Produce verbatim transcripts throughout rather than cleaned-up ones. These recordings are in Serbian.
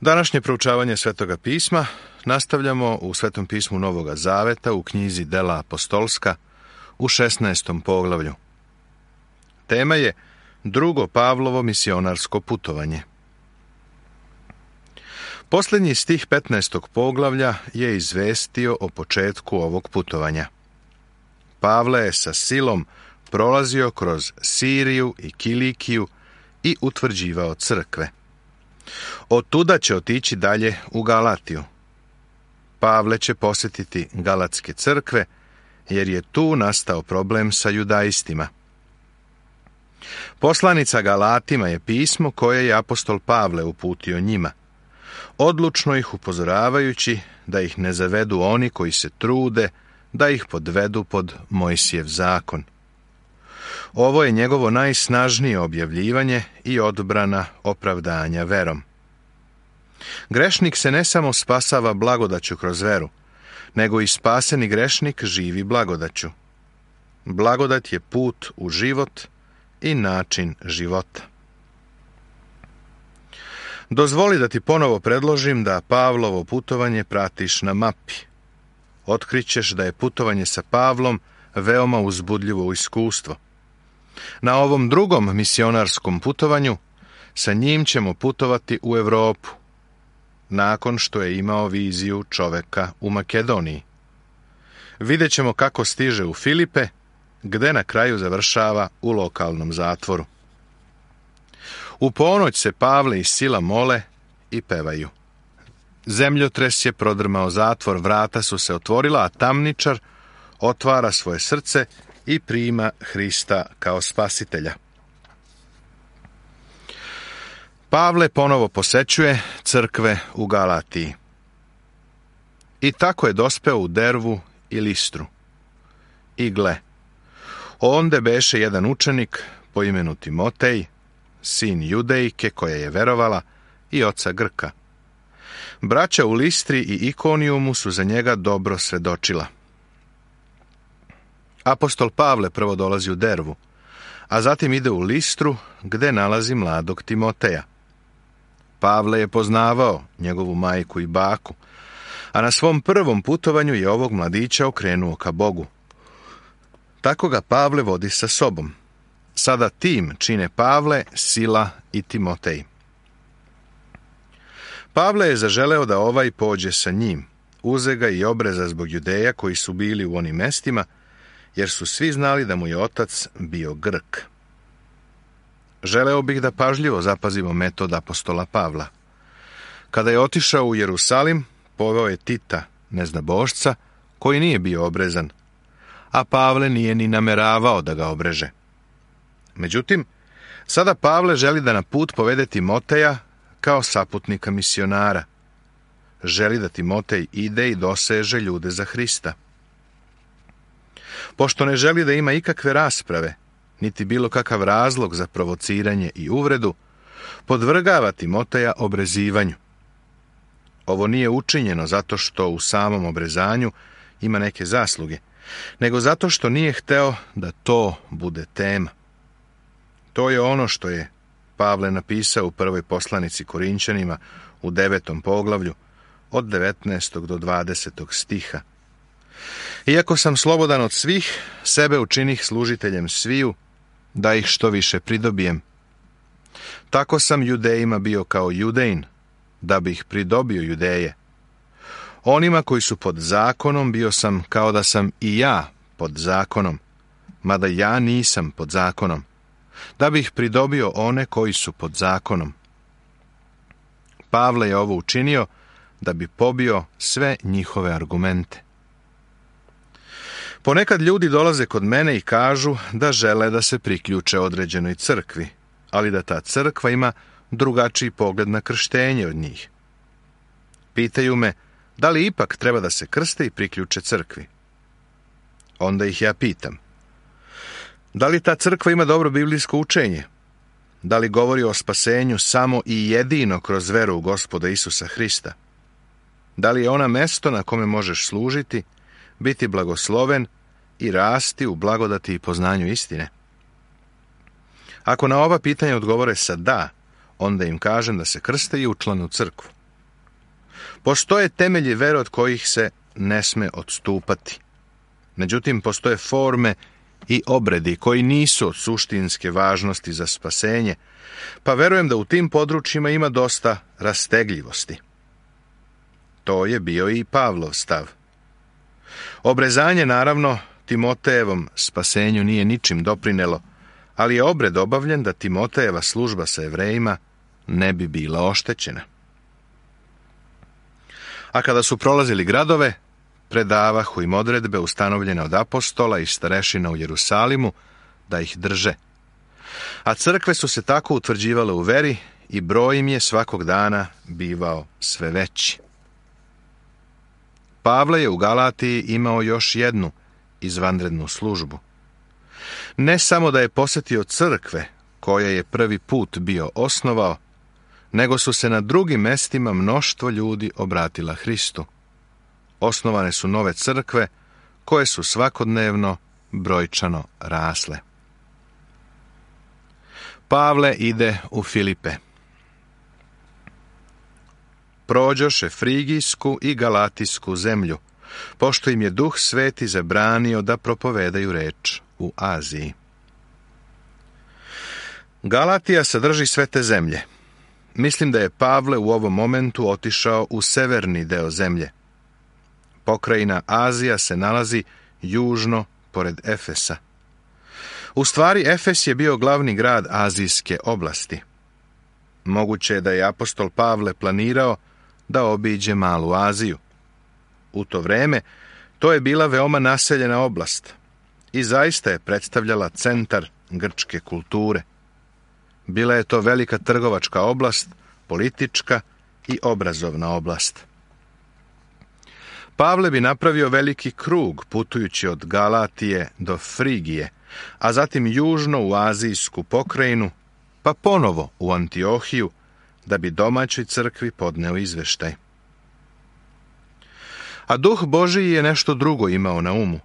Današnje proučavanje Svetoga pisma nastavljamo u Svetom pismu Novoga Zaveta u knjizi Dela apostolska u šesnaestom poglavlju. Tema je drugo Pavlovo misionarsko putovanje. Posljednji stih petnaestog poglavlja je izvestio o početku ovog putovanja. Pavle je sa silom prolazio kroz Siriju i Kilikiju i utvrđivao crkve. Od tuda će otići dalje u Galatiju. Pavle će posjetiti galatske crkve, jer je tu nastao problem sa judaistima. Poslanica Galatima je pismo koje je apostol Pavle uputio njima, odlučno ih upozoravajući da ih ne zavedu oni koji se trude da ih podvedu pod Mojsijev zakon. Ovo je njegovo najsnažnije objavljivanje i odbrana opravdanja verom. Grešnik se ne samo spasava blagodaću kroz veru, nego i spaseni grešnik živi blagodaću. Blagodat je put u život i način života. Dozvoli da ti ponovo predložim da Pavlovo putovanje pratiš na mapi. Otkrićeš da je putovanje sa Pavlom veoma uzbudljivo iskustvo. Na ovom drugom misionarskom putovanju sa njim ćemo putovati u Europu, nakon što je imao viziju čoveka u Makedoniji. Vidjet ćemo kako stiže u Filipe, gde na kraju završava u lokalnom zatvoru. U ponoć se Pavle i Sila mole i pevaju. Zemljotres je prodrmao zatvor, vrata su se otvorila, a tamničar otvara svoje srce i prima Hrista kao spasitelja. Pavle ponovo posećuje crkve u Galatiji. I tako je dospeo u Dervu i Listru. I gle, onde beše jedan učenik po imenu Timotej, sin Judejke koja je verovala i oca Grka. Braća u Listri i Ikonijumu su za njega dobro svedočila. Apostol Pavle prvo dolazi u Dervu, a zatim ide u Listru gde nalazi mladog Timoteja. Pavle je poznavao njegovu majku i baku, a na svom prvom putovanju je ovog mladića okrenuo ka Bogu. Tako ga Pavle vodi sa sobom. Sada tim čine Pavle, Sila i Timotej. Pavle je zaželeo da ovaj pođe sa njim, uze ga i obreza zbog Judeja koji su bili u onim mestima, jer su svi znali da mu je otac bio Grk. Želeo bih da pažljivo zapazimo metod apostola Pavla. Kada je otišao u Jerusalim, poveo je Tita, neznabošca, koji nije bio obrezan, a Pavle nije ni nameravao da ga obreže. Međutim, sada Pavle želi da na put povede Timoteja kao saputnika misionara. Želi da Timotej ide i doseže ljude za Hrista. Pošto ne želi da ima ikakve rasprave, niti bilo kakav razlog za provociranje i uvredu, podvrgava Timoteja obrezivanju. Ovo nije učinjeno zato što u samom obrezanju ima neke zasluge, nego zato što nije hteo da to bude tema. To je ono što je Pavle napisao u prvoj poslanici Korinćanima u devetom poglavlju od devetnaestog do dvadesetog stiha. Iako sam slobodan od svih, sebe učinih služiteljem sviju, da ih što više pridobijem. Tako sam Judejima bio kao Judejin, da bih pridobio Judeje. Onima koji su pod zakonom bio sam kao da sam i ja pod zakonom, mada ja nisam pod zakonom, da bih pridobio one koji su pod zakonom. Pavle je ovo učinio da bi pobio sve njihove argumente. Ponekad ljudi dolaze kod mene i kažu da žele da se priključe određenoj crkvi, ali da ta crkva ima drugačiji pogled na krštenje od njih. Pitaju me da li ipak treba da se krste i priključe crkvi. Onda ih ja pitam, da li ta crkva ima dobro biblijsko učenje? Da li govori o spasenju samo i jedino kroz veru u Gospoda Isusa Hrista? Da li je ona mesto na kome možeš služiti, biti blagosloven i rasti u blagodati i poznanju istine? Ako na ova pitanja odgovore sa da, onda im kažem da se krste i učlane u crkvu. Postoje temelji vere od kojih se ne sme odstupati. Međutim, postoje forme i obredi koji nisu od suštinske važnosti za spasenje, pa verujem da u tim područjima ima dosta rastegljivosti. To je bio i Pavlov stav. Obrezanje, naravno, Timotejevom spasenju nije ničim doprinelo, ali je obred obavljen da Timotejeva služba sa Jevrejima ne bi bila oštećena. A kada su prolazili gradove, predavahu im odredbe ustanovljene od apostola i starešina u Jerusalimu da ih drže. A crkve su se tako utvrđivale u veri i broj im je svakog dana bivao sve veći. Pavle je u Galatiji imao još jednu izvanrednu službu. Ne samo da je posjetio crkve koje je prvi put bio osnovao, nego su se na drugim mestima mnoštvo ljudi obratila Hristu. Osnovane su nove crkve koje su svakodnevno brojčano rasle. Pavle ide u Filipe. Prođoše Frigijsku i Galatijsku zemlju, pošto im je Duh Sveti zabranio da propovedaju reč u Aziji. Galatija sadrži sve te zemlje. Mislim da je Pavle u ovom momentu otišao u severni deo zemlje. Pokrajina Azija se nalazi južno pored Efesa. U stvari, Efes je bio glavni grad azijske oblasti. Moguće je da je apostol Pavle planirao da obiđe Malu Aziju. U to vreme to je bila veoma naseljena oblast i zaista je predstavljala centar grčke kulture. Bila je to velika trgovačka oblast, politička i obrazovna oblast. Pavle bi napravio veliki krug putujući od Galatije do Frigije, a zatim južno u azijsku pokrajinu, pa ponovo u Antiohiju, da bi domaćoj crkvi podneo izveštaj. A Duh Božiji je nešto drugo imao na umu.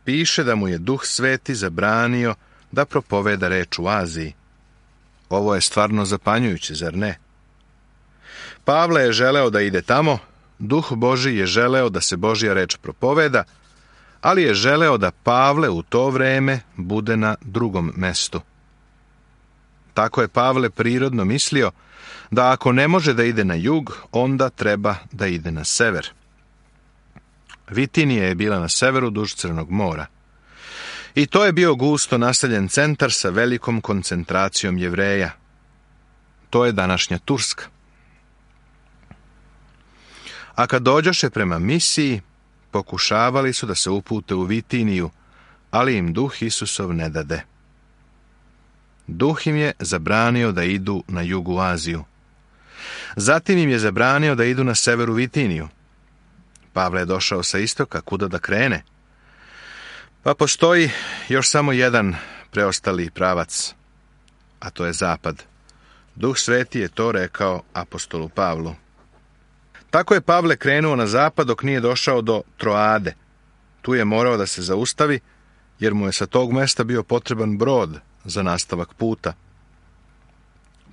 Piše da mu je Duh Sveti zabranio da propoveda reč u Aziji. Ovo je stvarno zapanjujuće, zar ne? Pavle je želeo da ide tamo, Duh Božji je želeo da se Božja reč propoveda, ali je želeo da Pavle u to vreme bude na drugom mestu. Tako je Pavle prirodno mislio da ako ne može da ide na jug, onda treba da ide na sever. Vitinija je bila na severu duž Crnog mora. I to je bio gusto naseljen centar sa velikom koncentracijom Jevreja. To je današnja Turska. A kad dođoše prema misiji, pokušavali su da se upute u Vitiniju, ali im Duh Isusov ne dade. Duh im je zabranio da idu na jugu Aziju. Zatim im je zabranio da idu na severu Vitiniju. Pavle je došao sa istoka, kuda da krene. Pa postoji još samo jedan preostali pravac, a to je zapad. Duh Sveti je to rekao apostolu Pavlu. Tako je Pavle krenuo na zapad dok nije došao do Troade. Tu je morao da se zaustavi, jer mu je sa tog mesta bio potreban brod za nastavak puta.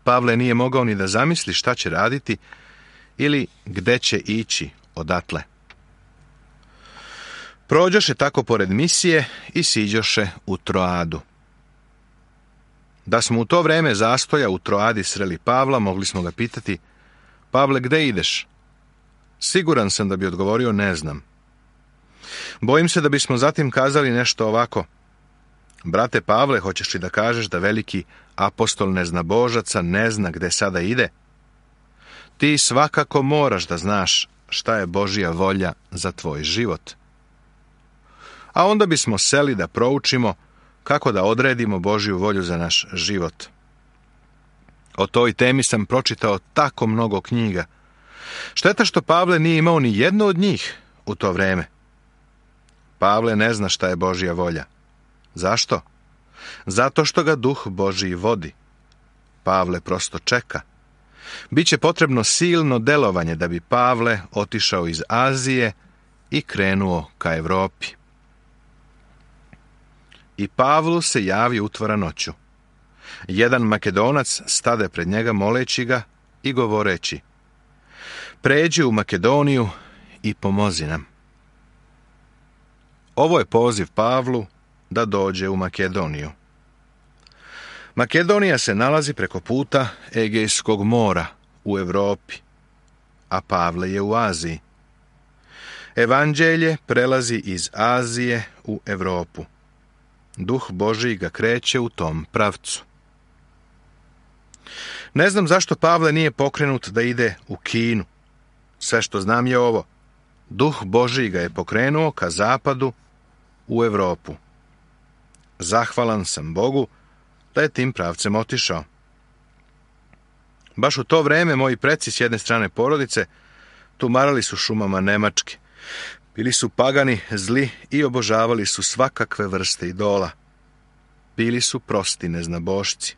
Pavle nije mogao ni da zamisli šta će raditi ili gde će ići odatle. Prođoše tako pored misije i siđoše u Troadu. Da smo u to vreme zastoja u Troadi sreli Pavla, mogli smo ga pitati: Pavle, gde ideš? Siguran sam da bi odgovorio: ne znam. Bojim se da bismo zatim kazali nešto ovako: brate Pavle, hoćeš li da kažeš da veliki apostol neznabožaca ne zna gde sada ide? Ti svakako moraš da znaš šta je Božja volja za tvoj život. A onda bismo seli da proučimo kako da odredimo Božju volju za naš život. O toj temi sam pročitao tako mnogo knjiga. Šteta što Pavle nije imao ni jednu od njih u to vreme. Pavle ne zna šta je Božja volja. Zašto? Zato što ga Duh Božji vodi. Pavle prosto čeka. Biće potrebno silno delovanje da bi Pavle otišao iz Azije i krenuo ka Evropi. I Pavlu se javi utvara noću. Jedan Makedonac stade pred njega moleći ga i govoreći: pređi u Makedoniju i pomozi nam. Ovo je poziv Pavlu da dođe u Makedoniju. Makedonija se nalazi preko puta Egejskog mora u Europi, a Pavle je u Aziji. Evanđelje prelazi iz Azije u Europu. Duh Božji ga kreće u tom pravcu. Ne znam zašto Pavle nije pokrenut da ide u Kinu. Sve što znam je ovo. Duh Božji ga je pokrenuo ka zapadu u Europu. Zahvalan sam Bogu da je tim pravcem otišao. Baš u to vreme moji preci s jedne strane porodice tumarali su šumama Nemačke. Bili su pagani, zli i obožavali su svakakve vrste idola. Bili su prosti neznabošci.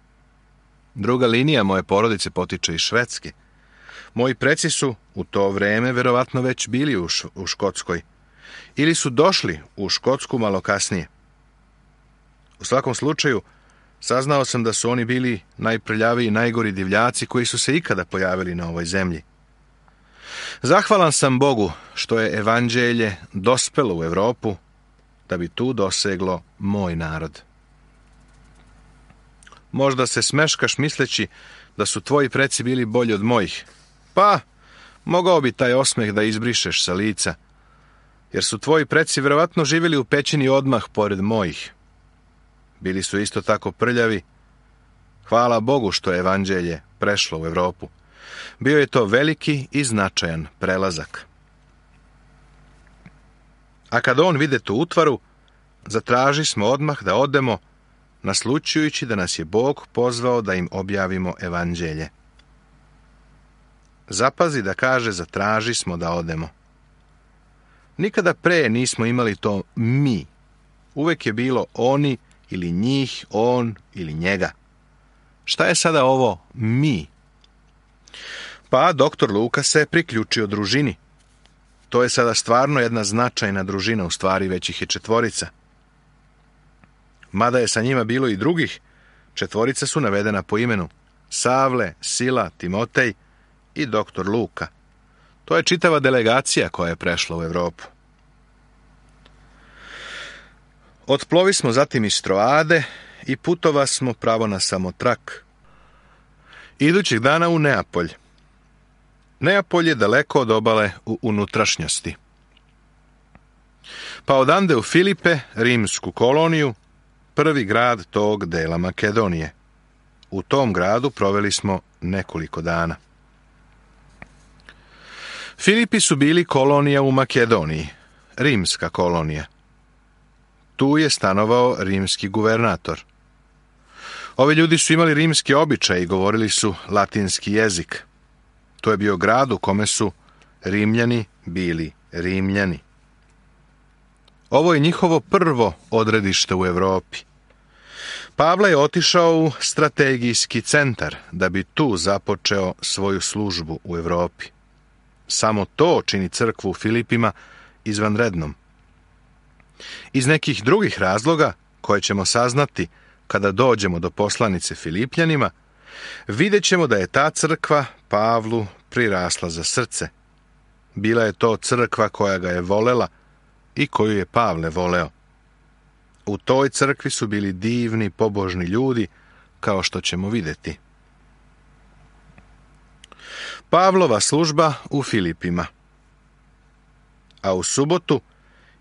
Druga linija moje porodice potiče iz Švedske. Moji preci su u to vreme verovatno već bili u, š- u Škotskoj. Ili su došli u Škotsku malo kasnije. U svakom slučaju, saznao sam da su oni bili najprljaviji i najgori divljaci koji su se ikada pojavili na ovoj zemlji. Zahvalan sam Bogu što je evanđelje dospelo u Europu da bi tu doseglo moj narod. Možda se smeškaš misleći da su tvoji preci bili bolji od mojih. Pa, mogao bi taj osmeh da izbrišeš sa lica, jer su tvoji preci verovatno živjeli u pećini odmah pored mojih. Bili su isto tako prljavi. Hvala Bogu što je evanđelje prešlo u Europu. Bio je to veliki i značajan prelazak. A kad on vide tu utvaru, zatraži smo odmah da odemo, naslućujući da nas je Bog pozvao da im objavimo evanđelje. Zapazi da kaže zatraži smo da odemo. Nikada pre nismo imali to mi. Uvek je bilo oni ili njih, on ili njega. Šta je sada ovo mi? Pa doktor Luka se priključio družini. To je sada stvarno jedna značajna družina, u stvari već ih je četvorica. Mada je sa njima bilo i drugih, četvorica su navedena po imenu: Savle, Sila, Timotej i doktor Luka. To je čitava delegacija koja je prešla u Europu. Otplovi smo zatim iz Troade i putova smo pravo na Samotrak. Idućeg dana u Neapolj. Neapolj je daleko od obale u unutrašnjosti. Pa odande u Filipe, rimsku koloniju, prvi grad tog dela Makedonije. U tom gradu proveli smo nekoliko dana. Filipi su bili kolonija u Makedoniji, rimska kolonija. Tu je stanovao rimski guvernator. Ovi ljudi su imali rimski običaj i govorili su latinski jezik. To je bio grad u kome su Rimljani bili Rimljani. Ovo je njihovo prvo odredište u Europi. Pavle je otišao u strategijski centar da bi tu započeo svoju službu u Europi. Samo to čini crkvu u Filipima izvanrednom. Iz nekih drugih razloga, koje ćemo saznati kada dođemo do poslanice Filipljanima, vidjet ćemo da je ta crkva Pavlu prirasla za srce. Bila je to crkva koja ga je volela i koju je Pavle voleo. U toj crkvi su bili divni, pobožni ljudi, kao što ćemo vidjeti. Pavlova služba u Filipima. A u subotu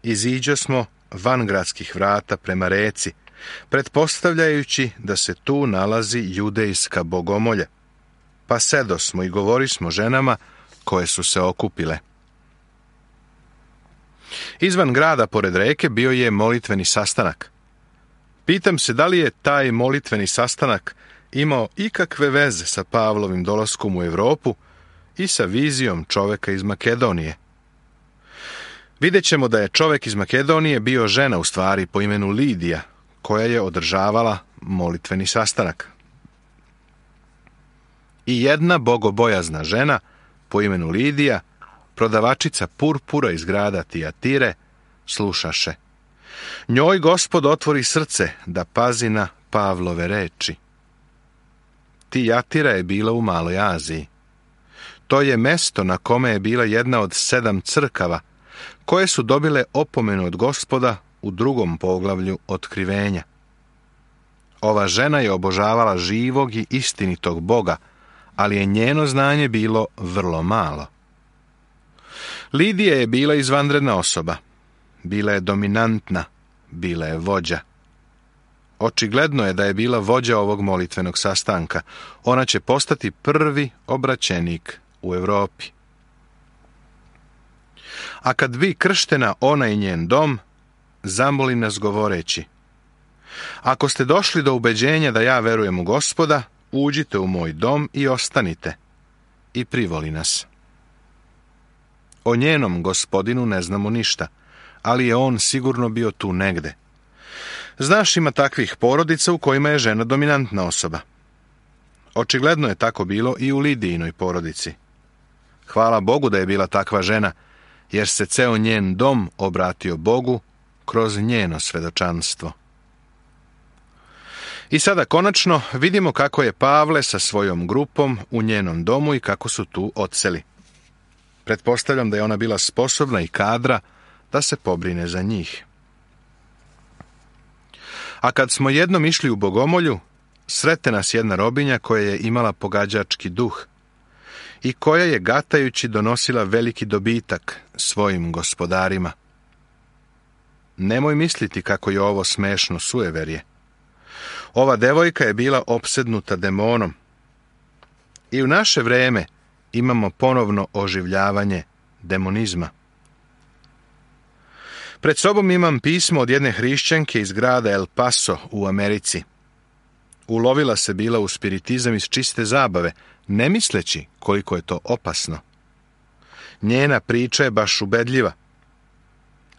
iziđe smo van gradskih vrata prema reci, pretpostavljajući da se tu nalazi judejska bogomolja. Pa sedosmo i govorismo ženama koje su se okupile. Izvan grada pored reke bio je molitveni sastanak. Pitam se da li je taj molitveni sastanak imao ikakve veze sa Pavlovim dolaskom u Europu i sa vizijom čoveka iz Makedonije. Vidjet ćemo da je čovek iz Makedonije bio žena u stvari po imenu Lidija, koja je održavala molitveni sastanak. I jedna bogobojazna žena po imenu Lidija, prodavačica purpura iz grada Tijatire, slušaše. Njoj Gospod otvori srce da pazi na Pavlove reči. Tijatira je bila u Maloj Aziji. To je mesto na kome je bila jedna od sedam crkava, koje su dobile opomenu od Gospoda u drugom poglavlju Otkrivenja. Ova žena je obožavala živog i istinitog Boga, ali je njeno znanje bilo vrlo malo. Lidija je bila izvanredna osoba. Bila je dominantna, bila je vođa. Očigledno je da je bila vođa ovog molitvenog sastanka. Ona će postati prvi obraćenik u Europi. A kad bi krštena ona i njen dom, zamoli nas govoreći: ako ste došli do ubeđenja da ja verujem u Gospoda, uđite u moj dom i ostanite. I privoli nas. O njenom gospodinu ne znamo ništa, ali je on sigurno bio tu negde. Znaš, ima takvih porodica u kojima je žena dominantna osoba. Očigledno je tako bilo i u Lidijinoj porodici. Hvala Bogu da je bila takva žena, jer se ceo njen dom obratio Bogu kroz njeno svedočanstvo. I sada konačno vidimo kako je Pavle sa svojom grupom u njenom domu i kako su tu odseli. Pretpostavljam da je ona bila sposobna i kadra da se pobrine za njih. A kad smo jednom išli u Bogomolju, srete nas jedna robinja koja je imala pogađački duh i koja je gatajući donosila veliki dobitak svojim gospodarima. Nemoj misliti kako je ovo smešno sujeverje. Ova devojka je bila opsednuta demonom. I u naše vreme imamo ponovno oživljavanje demonizma. Pred sobom imam pismo od jedne hrišćanke iz grada El Paso u Americi. Ulovila se bila u spiritizam iz čiste zabave, ne misleći koliko je to opasno. Njena priča je baš ubedljiva.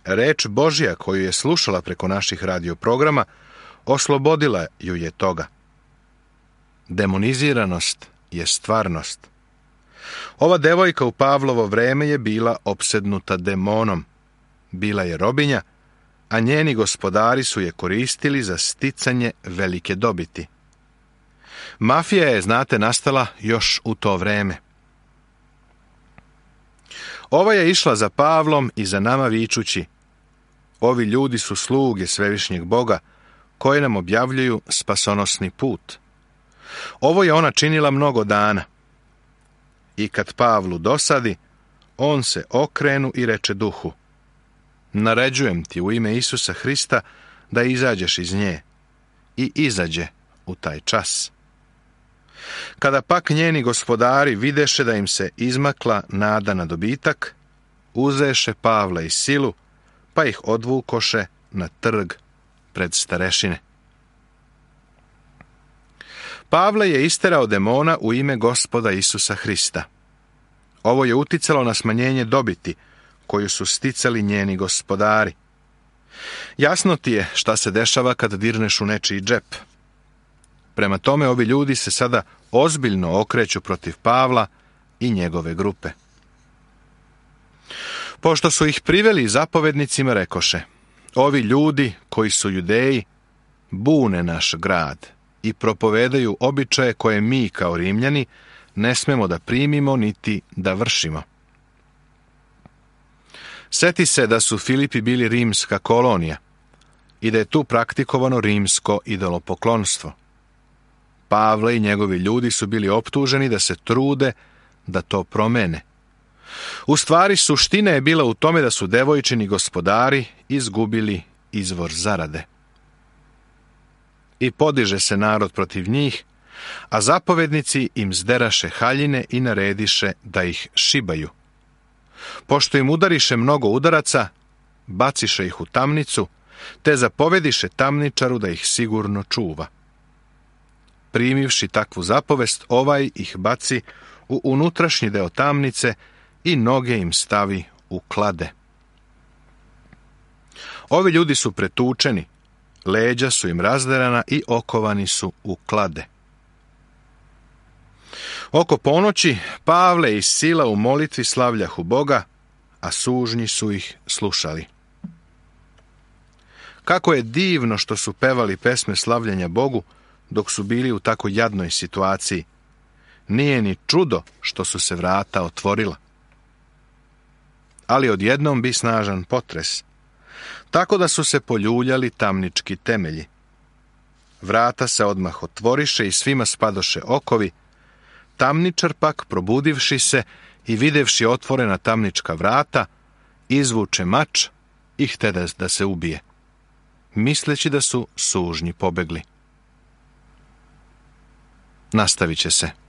Reč Božja koju je slušala preko naših radioprograma oslobodila ju je toga. Demoniziranost je stvarnost. Ova devojka u Pavlovo vreme je bila opsednuta demonom. Bila je robinja, a njeni gospodari su je koristili za sticanje velike dobiti. Mafija je, znate, nastala još u to vreme. Ova je išla za Pavlom i za nama vičući: ovi ljudi su sluge svevišnjeg Boga, koje nam objavljuju spasonosni put. Ovo je ona činila mnogo dana. I kad Pavlu dosadi, on se okrenu i reče duhu: naređujem ti u ime Isusa Hrista da izađeš iz nje. I izađe u taj čas. Kada pak njeni gospodari videše da im se izmakla nada na dobitak, uzeše Pavla i silu, pa ih odvukoše na trg pred starešine. Pavle je isterao demona u ime Gospoda Isusa Hrista. Ovo je uticalo na smanjenje dobiti koju su sticali njeni gospodari. Jasno ti je šta se dešava kad dirneš u nečiji džep. Prema tome, ovi ljudi se sada ozbiljno okreću protiv Pavla i njegove grupe. Pošto su ih priveli zapovednicima, rekoše: ovi ljudi koji su Judeji bune naš grad i propovedaju običaje koje mi kao Rimljani ne smemo da primimo niti da vršimo. Seti se da su Filipi bili rimska kolonija i da je tu praktikovano rimsko idolopoklonstvo. Pavle i njegovi ljudi su bili optuženi da se trude da to promene. U stvari, suština je bila u tome da su devojčini gospodari izgubili izvor zarade. I podiže se narod protiv njih, a zapovednici im zderaše haljine i narediše da ih šibaju. Pošto im udariše mnogo udaraca, baciše ih u tamnicu, te zapovediše tamničaru da ih sigurno čuva. Primivši takvu zapovest, ovaj ih baci u unutrašnji deo tamnice i noge im stavi u klade. Ovi ljudi su pretučeni, leđa su im razderana i okovani su u klade. Oko ponoći Pavle i Sila u molitvi slavljahu Boga, a sužnji su ih slušali. Kako je divno što su pevali pesme slavljenja Bogu dok su bili u tako jadnoj situaciji. nije ni čudo što su se vrata otvorila. Ali odjednom bi snažan potres, tako da su se poljuljali tamnički temelji. Vrata se odmah otvoriše i svima spadoše okovi. Tamničar pak, probudivši se i videvši otvorena tamnička vrata, izvuče mač i htede da se ubije, misleći da su sužnji pobegli. Nastavit će se.